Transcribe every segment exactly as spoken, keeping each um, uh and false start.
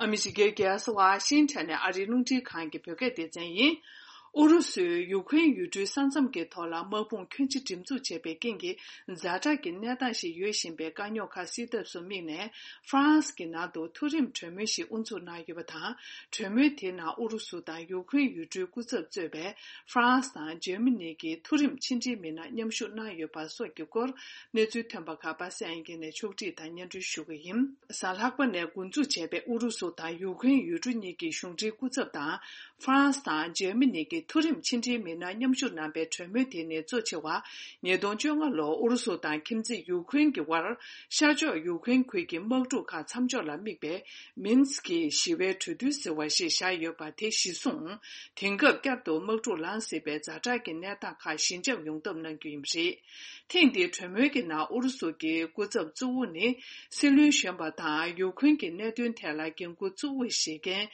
ཨ་མི་རི་ཀའི་རྒྱལ་ས་ཝ་ཤིང་ཊོན་ནས་ཨ་རིའི་རླུང་འཕྲིན་ཁང་གི་བོད་སྐད་སྡེ་ཚན་ཡིན། ཨུ་རུ་སུས་ཡུ་ཁུན་ཡུལ་གྲུའི་ས་མཚམས་ཀྱི་ཐོག་ལ་དམག་དཔུང་ཁྱོན་ཆེ་སྒྲིག་འཛུགས་བྱས་པའི་རྐྱེན་གྱིས། ཛ་དྲག་གི་གནས་སྟངས་ཤིག་ཡོད་བཞིན་པའི་དཀའ་རྙོག་ཁག་སེལ་ཐབས་སུ་དམིགས་ནས། ཧྥ་རན་སི་གི་ནང་དུ་མཐོ་རིམ་གྲོས་མོལ་ཞིག་དབུ་འཛུགས་གནང་ཡོད་པ་དང་། གྲོས་མོལ་དེའི་ནང་ཨུ་རུ་སུ་དང་ཡུ་ཁུན་ཡུལ་གྲུའི་སྐུ་ཚབ་གཙོས་པའི་ཧྥ་རན་སི་དང་འཇར་མ་ནི་གི་མཐོ་རིམ་ཕྱི་འབྲེལ་མི་སྣ་མཉམ་ཞུགས་གནང་ཡོད་པ་སོགས་ཀྱི་སྐོར། གནས་ཚུལ་ཐོན་པ་ཁག་པ་སངས་དབྱངས་སྐྱིད་ནས་ཕྱོགས་སྒྲིག་དང་སྙན་སྒྲོན་ཞུ་གི་ཡིན། གཟའ་ལྷག་པ་ནས་འགོ་འཛུགས་བྱས་པའི་ཨུ་རུ་སུ་དང་ཡུ་ཁུན་ཡུལ་གྲུ་གཉིས་ཀྱི་གཞུང་འབྲེལ་སྐུ་ཚབ་དང་། ཧྥ་རན་སི་དང་འཇར་མ་ནི་གི་མཐོ་རིམ་ཕྱི་འབྲེལ་མི་སྣ་མཉམ་ཞུགས་གནང་པའི་གྲོས་མོལ་དེ་ནི་གཙོ་ཆེ་བ། ཉིས་སྟོང་བཅོ་ལྔ་ལོར་ཨུ་རུ་སུ་དང་ཁྱིམ་མཚེས་ཡུ་ཁུན་གྱི་དབར། ཤར་ཕྱོགས་ཡུ་ཁུན་ཁུལ་གྱི་དམག་འཁྲུག་ཁག་མཚམས་འཇོག་ལ་དམིགས་པའི་མིན་སི་ཀི་ཞི་བའི་གྲོས་མཐུན་ཟེར་བ་ཞིག་བཞག་ཡོད་པ་དེ་གཞི་བཟུང་། དེང་སྐབས་བསྐྱར་དུ་དམག་འཁྲུག་ལངས་སྲིད་པའི་ཛ་དྲག་གི་གནས་སྟངས་ཁག་ཞི་འཇགས་ཡོང་ཐབས་གནང་རྒྱུ་ཡིན་པ་རེད། ཐེངས་འདིའི་གྲོས་མོལ་གྱི་ནང་ཨུ་རུ་སུ་གྱི་སྐུ་ཚབ་གཙོ་བོ་ནི། སྲིད་བློན་གཞོན་པ་དང་ཡུ་ཁུན་གྱི་གནད་དོན་ཐད་ལ་འགན་འཁུར་གཙོ་བོ་བཞེས་མཁན།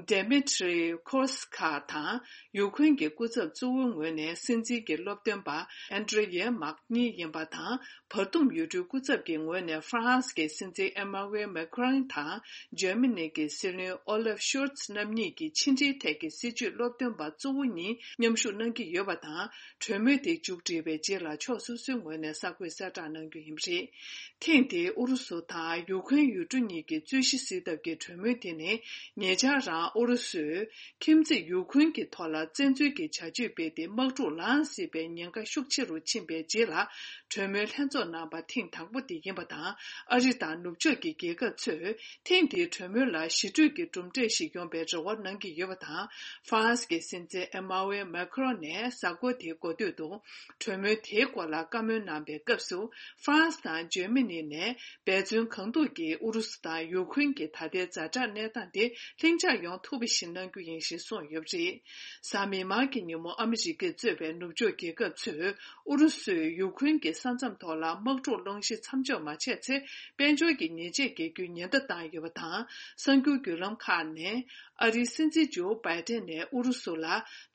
Dmitry Kuleskaya དང་། ཡུ་ཁུན་གྱི་སྐུ་ཚབ་གཙོ་བོའི་ངོས་ནས་སྲིད་འཛིན་གྱི་སློབ་སྟོན་པ། Andriy Yermak གཉིས་ཡིན་པ་དང་། བར་འདུམ་ཡུལ་གྲུའི་སྐུ་ཚབ་ཀྱི་ངོས་ནས་ཧྥ་རན་སི་གི་སྲིད་འཛིན་Emmanuel Macron དང་། འཇར་མ་ནི་གི་སྲིད་བློན་Olaf Scholz རྣམ་གཉིས་ཀྱི་ཕྱི་འབྲེལ་ཐད་ཀྱི་སྲིད་བྱུས་སློབ་སྟོན་པ་གཙོ་བོ་གཉིས་མཉམ་ཞུགས་གནང་གི་ཡོད་པ་དང་། གྲོས་མོལ་དེ་མཇུག་སྒྲིལ་བའི་རྗེས་ལ་ཕྱོགས་སོ་སོའི་ངོས་ནས་གསར་འགོད་གསལ་བསྒྲགས་གནང་རྒྱུ་ཡིན་པ་རེད། ཐེངས་འདིའི་ཨུ་རུ་སུ་དང་ཡུ་ཁུན་ཡུལ་གྲུ་གཉིས་ཀྱི་རྩོད་གཞི་སེལ་ཐབས་ཀྱི་གྲོས་མོལ་དེ་ནི། ཉེ་ཆར་རང་ཨུ་རུ་སུས་ཁྱིམ་མཚེས་ཡུ་ཁུན་གྱི་ཐོག་ལ་བཙན་འཛུལ་གྱི་བྱ་སྤྱོད་སྤེལ་ཏེ་དམག་འཁྲུག་ལངས་སྲིད་པའི་ཉེན་ཁ་ཤུགས་ཆེ་རུ་ཕྱིན་པའི་རྗེས་ལ། གྲོས་མོལ་ལྷན་ཚོགས་གནང་པ་ཐེངས་དང་པོ་དེ་ཡིན་པ་དང་། ཨ་རི་དང་ནུབ་ཕྱོགས་ཀྱི་རྒྱལ་ཁབ་ཚོས་ཐེངས་འདིའི་གྲོས་མོལ་ལ་ཞི་གྲོས་ཀྱི་གྲུབ་འབྲས་ཤིག་ཡོང་པའི་རེ་བ་གནང་གི་ཡོད་པ་དང་། ཧྥ་རན་སི་གི་སྲིད་འཛིན་Emmanuel Macron ནས་གཟའ་འཁོར་དེའི་འགོ་སྟོད་དུ། གྲོས་མོལ་དེའི་སྐོར་ལ་བཀའ་མོལ་གནང་པའི་སྐབས་སུ། ཧྥ་རན་སི་དང་འཇར་མ་ནི་ནས་འབད་བརྩོན་གང་ཐུབ་ཀྱིས་ཨུ་རུ་སུ་དང་ཡུ་ཁུན་གྱི་ད་ལྟའི་ཛ་དྲག་གནས་སྟངས་དེ་ལྷིང་འཇགས་ཡོང་ཐུབ་པ་ཞིག་གནང་རྒྱུ་ཡིན་ཞེས་གསུངས་ཡོད་པ་རེད། གཟའ་མིག་དམར་གྱི་ཉིན་མོ་ཨ་མི་རི་ཀས་གཙོས་པའི་ནུབ་ཕྱོགས་རྒྱལ་ཁབ་ཚོས་ཨུ་རུ་སུས་ཡུ་ཁུན་གྱི་ས་མཚམས་ཐོག་ལ་དམག་འཁྲུག་སློང་གཞི་མཚམས་འཇོག་མ་བྱས་ཚེ། དཔལ་འབྱོར་གྱི་ཉེས་ཆད་འགེལ་རྒྱུའི་ཉེན་བརྡ་བཏང་ཡོད་པ་དང་། གསར་འགྱུར་བརྒྱུད་ལམ་ཁག་ནས། ཨ་རིའི་སྲིད་འཛིན་ཇོ་བྷའི་ཏན་ནས་ཨུ་རུ་སུ་ལ་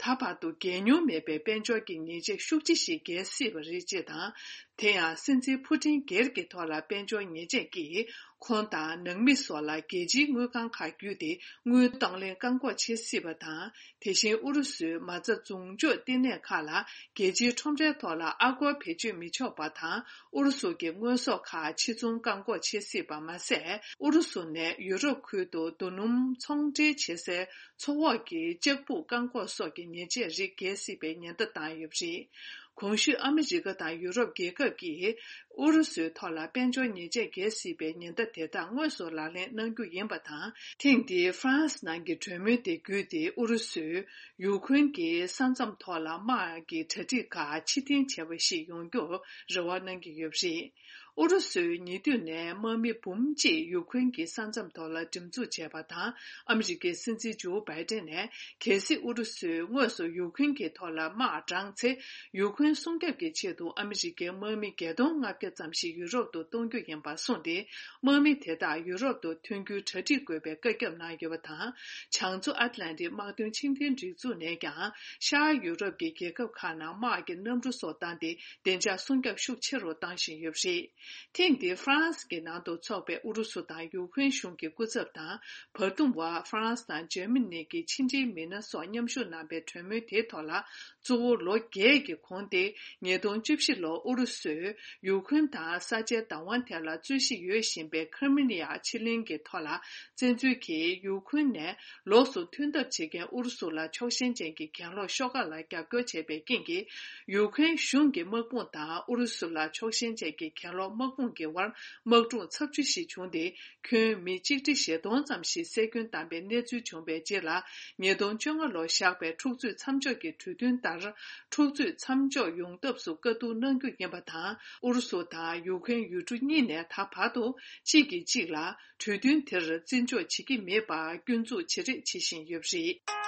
ད་བར་དུ་འགལ་མྱོང་མེད་པའི་དཔལ་འབྱོར་གྱི་ཉེས་ཆད་ཤུགས་ཆེ་ཞིག་འགེལ་སྲིད་པ་རེད་ཅེས་དང་། དེ་ཡང་སྲིད་འཛིན་ཕུ་ཏིན་སྒེར་གྱི་ཐོག་ལ་དཔལ་འབྱོར་ཉེས་ཆད་ཀྱིས་ཁོང་དང་ནང་མི་སོགས་ལ་རྒྱལ་སྤྱིའི་དངུལ་ཁང་ཁག་བརྒྱུད་དེ་དངུལ་གཏོང་ལེན་བཀག་འགོག་བྱེད་སྲིད་པ་དང་། དེ་བཞིན་ཨུ་རུ་སུའི་མ་རྩ་འཛུགས་འཇོག་ལྟེ་གནས་ཁག་ལ་རྒྱལ་སྤྱིའི་ཁྲོམ་རའི་ཐོག་ལ་ཨ་སྒོར་བེད་སྤྱོད་མི་ཆོག་པ་དང་། ཨུ་རུ་སུ་གྱི་དངོས་ཟོག་ཁག་ཕྱིར་ཚོང་བཀག་འགོག་བྱེད་སྲིད་པ་མ་ཟད། ཨུ་རུ་སུ་ནས་ཡུ་རོབ་ཁུལ་དུ་རྡོ་སྣུམ་ཚོང་འབྲེལ་བྱེད་སའི་མཚོ་འོག་གི་ལྕགས་སྦུག་བཀག་འགོག་སོགས་ཀྱི་ཉེས་ཆད་རིགས་འགེལ་སྲིད་པའི་ཉེན་བརྡ་བཏང་ཡོད་པ་རེད། གོང་ཞུས་ཨ་མི་རི་ཀ་དང་ཡུ་རོབ་རྒྱལ་ཁབ་ཀྱིས་ཨུ་རུ་སུའི་ཐོག་ལ་དཔལ་འབྱོར་ཉེས་ཆད་འགེལ་སྲིད་པའི་ཉེན་བརྡ་དེ་དག་དངོས་སུ་ལག་ལེན་གནང་རྒྱུ་ཡིན་པ་དང་། ཐེངས་འདིའི་ཧྥ་རན་སི་ནང་གི་གྲོས་མོལ་དེ་བརྒྱུད་དེ་ཨུ་རུ་སུས་ཡུ་ཁུན་གྱི་ས་མཚམས་ཐོག་ལ་དམག་གི་གྲ་སྒྲིག་ཁག་ཕྱིར་འཐེན་བྱས་པ་ཞིག་ཡོང་རྒྱུར་རེ་བ་གནང་གི་ཡོད་པ་རེད། ཨུ་རུ་སུས་ཉེ་དུས་ནས་དམག་མི་འབུམ་གཅིག་ཡུ་ཁུན་གྱི་ས་མཚམས་ཐོག་ལ་སྒྲིག་འཛུགས་བྱས་པ་དང་། ཨ་མི་རི་ཀའི་སྲིད་འཛིན་ཇོ་བྷའི་ཏན་ནས། གལ་སྲིད་ཨུ་རུ་སུས་དངོས་སུ་ཡུ་ཁུན་གྱི་ཐོག་ལ་དམག་དྲངས་ཚེ། ཡུ་ཁུན་སྲུང་སྐྱོབ་ཀྱི་ཆེད་དུ་ཨ་མི་རི་ཀའི་དམག་མི་བརྒྱད་སྟོང་ལྔ་བརྒྱ་ཙམ་ཞིག་ཡུ་རོབ་ཏུ་གཏོང་རྒྱུ་ཡིན་པ་གསུངས་ཏེ། དམག་མི་དེ་དག་ཡུ་རོབ་ཏུ་ཐོན་རྒྱུའི་གྲ་སྒྲིག་དགོས་པའི་བཀའ་ཁྱབ་གནང་ཡོད་པ་དང་། བྱང་མཚོ་ཨཊ་ལན་ཏིག་དམག་དོན་ཆེས་མཐོའི་སྒྲིག་འཛུགས་ནས་ཀྱང་། ཤར་ཡུ་རོབ་ཀྱི་རྒྱལ་ཁབ་ཁག་ནང་དམག་གི་གནམ་གྲུ་སོགས་བཏང་སྟེ། བདེ་འཇགས་སྲུང་སྐྱོབ་ཤུགས་ཆེ་རུ་བཏང་བཞིན་ཡོད་པ་རེད། ཐེངས་འདིའི་ཧྥ་རན་སི་གི་ནང་དུ་འཚོགས་པའི་ཨུ་རུ་སུ་དང་ཡུ་ཁུན་གཞུང་གི་སྐུ་ཚབ་དང་། བར་འདུམ་བ་ཧྥ་རན་སི་དང་འཇར་མ་ནི་གི་ཕྱི་འབྲེལ་མི་སྣ་སོགས་མཉམ་ཞུགས་གནང་པའི་གྲོས་མོལ་དེའི་ཐོག་ལ། གཙོ་བོ་ལོ་བརྒྱད་ཀྱི་གོང་སྟེ། ཉིས་སྟོང་བཅུ་བཞི་ལོར་ཨུ་རུ་སུས་ཡུ་ཁུན་དང་ས་ཆའི་བདག་དབང་ཐད་ལ་རྩོད་གཞི་ཡོད་བཞིན་པའི་ཁི་རི་མི་ཡ་ཕྱེད་གླིང་གི་ཐོག་ལ། བཙན་འཛུལ་གྱིས་ཡུ་ཁུན་ནས་ལོགས་སུ་ཐོན་ཐབས་བྱེད་མཁན་ཨུ་རུ་སུ་ལ་ཕྱོགས་ཞེན་ཅན་གྱི་གྱེན་ལོག་ཤོག་ཁག་ལ་རྒྱབ་སྐྱོར་བྱས་པའི་རྐྱེན་གྱིས། ཡུ་ཁུན་གཞུང་གི་དམག་དཔུང་དང་ཨུ་རུ་སུ་ལ་ཕྱོགས་ཞེན་ཅན་གྱི་གྱེན་ལོག་དམག་དཔུང་གི་དབར་དམག་འཁྲུག་ཚབས་ཆེ་ཞིག་བྱུང་སྟེ། ཁྱོན་མི་གཅིག་ཁྲི་བཞི་སྟོང་ཙམ་ཞིག་བསད་སྐྱོན་བཏང་པའི་གནས་ཚུལ་བྱུང་བའི་རྗེས་ལ། ཉིས་སྟོང་བཅོ་ལྔ་ལོར་བཞག་པའི་འཁྲུག་རྩོད་མཚམས་འཇོག་གི་གྲོས་མཐུན་ལྟར། འཁྲུག་རྩོད་མཚམས་འཇོག་ཡོང་ཐབས་སུ་བཀའ་བསྡུར་གནང་རྒྱུ་ཡིན་པ་དང་། ཨུ་རུ་སུ་དང་ཡུ་ཁུན་ཡུལ་གྲུ་གཉིས་ནས་ད་བར་དུ་གཅིག་གིས་གཅིག་ལ་གྲོས་མཐུན་དེར་བརྩི་འཇོག་བྱེད་ཀྱི་མེད་པར་སྐྱོན་འཛུགས་བྱེད་རེས་བྱེད་བཞིན་ཡོད་པ་རེད།